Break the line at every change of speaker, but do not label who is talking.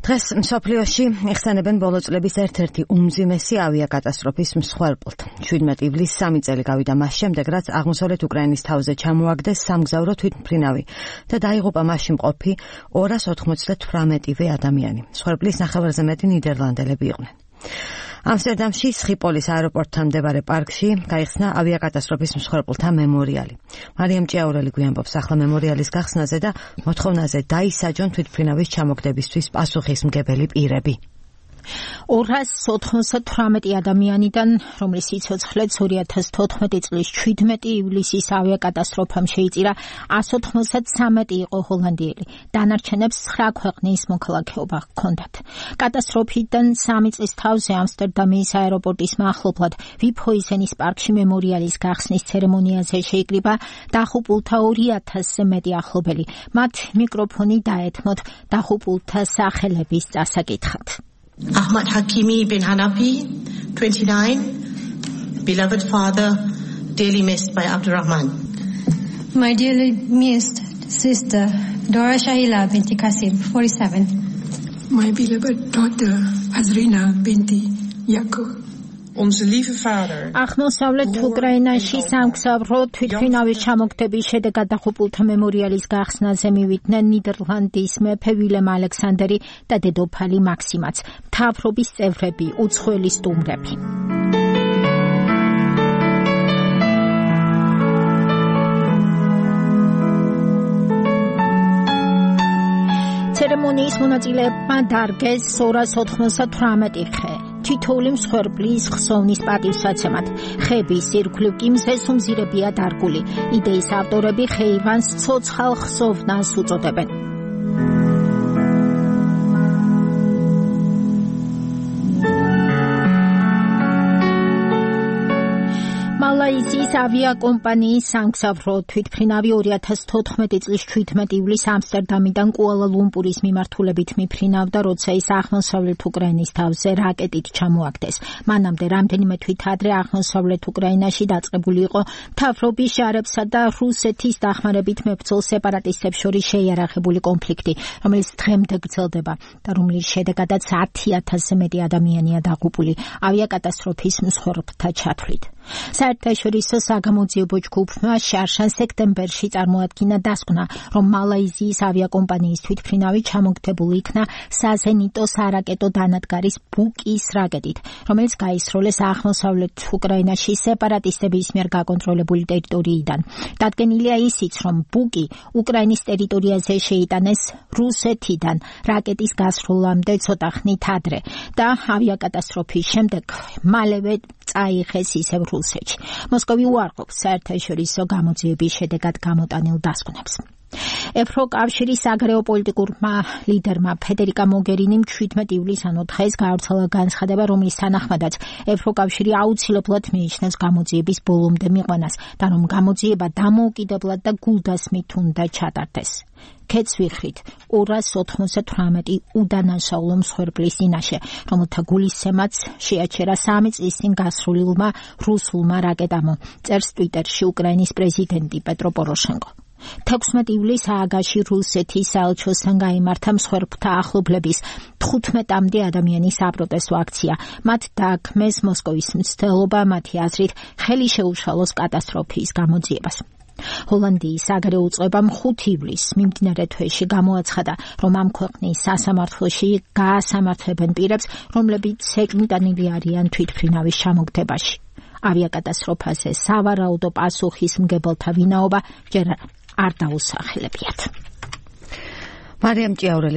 დღეს მსოფლიოში იხსენებენ ბოლო წლების ერთ-ერთი უმძიმესი ავიაკატასტროფის მსხვერპლთ. 17 ივლისს 3 წელი გავიდა მას შემდეგ, რაც აღმოსავლეთ უკრაინის თავზე ჩამოაგდეს სამგზავრო თვითმფრინავი და დაიღუპა მასში მყოფი 298 ადამიანი. მსხვერპლის ნახევარზე მეტი ნიდერლანდელები იყვნენ. ამსტერდამში სხიპოლის აეროპორტთან მდებარე პარკში გაიხსნა ავიაკატასტროფის მსხვერპლთა მემორიალი. მარიამ ჭიაურელი გვიამბობს ახლა მემორიალის გახსნაზე და მოთხოვნაზე დაისაჯონ თვითმფრინავის ჩამოგდებისთვის პასუხისმგებელი პირები.
298 ადამიანიდან, რომლის სიცოცხლეც 2014 წლის 17 ივლისის ავიაკატასტროფამ შეიწირა, 193 იყო ჰოლანდიელი. დანარჩენებს 9 ქვეყნის მოქალაქეობა ჰქონდათ. კატასტროფიდან 3 წლის თავზე ამსტერდამის აეროპორტის მახლობლად ვიფჰოიზენის პარკში მემორიალის გახსნის ცერემონიაზე შეიკრიბა დახუპულთა 2000-ზე მეტი ახლობელი. მათ მიკროფონი დაეთმოთ დახუპულთა სახელების წასაკითხად.
Ahmad Hakimi bin Hanafi, 29, beloved father, dearly missed by Abdurrahman.
My dearly missed sister, Dora Shahila binti Qasim, 47.
My beloved daughter, Azrina binti Yaqub.
Onze lieve vader.
აღმოსავლეთ უკრაინაში სამგზავრო თვითმფრინავის ჩამოგდების შედეგად დახუპულთა მემორიალის გახსნაზე მივიდნენ ნიდერლანდის მეფე ვილემ ალექსანდერი და დედოფალი მაქსიმაც, მთავრობის წევრები, უცხოელი სტუმრები. ცერემონიის მონაწილეებმა დარგეს 298 ხე. თითოეული მსხვერპლის ხსოვნის პატივსაცემად. ხეების ირგვლივ კი მზესუმზირებია დარგული. იდეის ავტორები ხეივანს ცოცხალ ხსოვნას უწოდებენ. მალაიზიის ავიაკომპანიის სამგზავრო თვითმფრინავი 2014 წლის 17 ივლისს ამსტერდამიდან კუალა-ლუმპურის მიმართულებით მიფრინავდა, როცა ის აღმოსავლეთ უკრაინის თავზე რაკეტით ჩამოაგდეს. მანამდე რამდენიმე თვით ადრე აღმოსავლეთ უკრაინაში დაწყებული იყო მთავრობის ჟარებსა და რუსეთის დახმარებით მებრძოლ სეპარატისტებს შორის შეიარაღებული კონფლიქტი, რომელიც დღემდე გრძელდება და რომლის შედეგადაც 10,000-ზე მეტი ადამიანია დაღუპული ავიაკატასტროფის მსხვერპლთა ჩათვლით. საერთაშორისო საგამოძიებო ჯგუფმა შარშან სექტემბერში წარმოადგინა დასკვნა, რომ მალაიზიის ავიაკომპანიის თვითმფრინავი ჩამოგდებული იქნა საზენიტო სარაკეტო დანადგარის ბუკის რაკეტით, რომელიც გაისროლეს აღმოსავლეთ უკრაინაში სეპარატისტების მიერ გაკონტროლებული ტერიტორიიდან. დადგენილია ისიც, რომ ბუკი უკრაინის ტერიტორიაზე შეიტანეს რუსეთიდან რაკეტის გასროლამდე ცოტა ხნით ადრე და ავიაკატასტროფის შემდეგ მალევე წაიღეს ისევ რუსეთში. მოსკოვი უარყოფს საერთაშორისო გამოძიების შედეგად გამოტანილ დასკვნებს. ევროკავშირის საგარეო პოლიტიკურმა ლიდერმა ფედერიკა მოგერინიმ 17 ივლისს ანუ დღეს გაავრცელა განცხადება, რომლის თანახმადაც ევროკავშირი აუცილებლად მიიჩნევს გამოძიების ბოლომდე მიყვანას და რომ გამოძიება დამოუკიდებლად და გულდასმით უნდა ჩატარდეს. ქეთს ვიხრით 298 უდანაშაულო მსხვერპლის წინაშე, რომელთა გულისცემაც შეაჩერა 3 წლის წინ გასრულილმა რუსულმა რაკეტამ, წერს ტვიტერში უკრაინის პრეზიდენტი პეტრო პოროშენკო. 16 ივლისს ააგაში რუსეთის საელჩოსთან გაიმართა მსხვერპლთა ახლობლების 15-მდე ადამიანის საპროტესტო აქცია. მათ დააქმეს მოსკოვის მცდელობა, მათი აზრით, ხელი შეუშალოს კატასტროფის გამოძიებას. ჰოლანდიის საგარეო უწყებამ 5 ივლისს მიმდინარე თვეში გამოაცხადა, რომ ამ ქვეყნის სასამართლოში გაასამართლებენ პირებს, რომლებიც ეკმიტანილი არიან თვითმფრინავის ჩამოგდებაში. ავიაკატასტროფაზე სავარაუდო პასუხისმგებელთა ვინაობა ჯერ არ დაუსახელებიათ.
მარიამ ჭიაურელი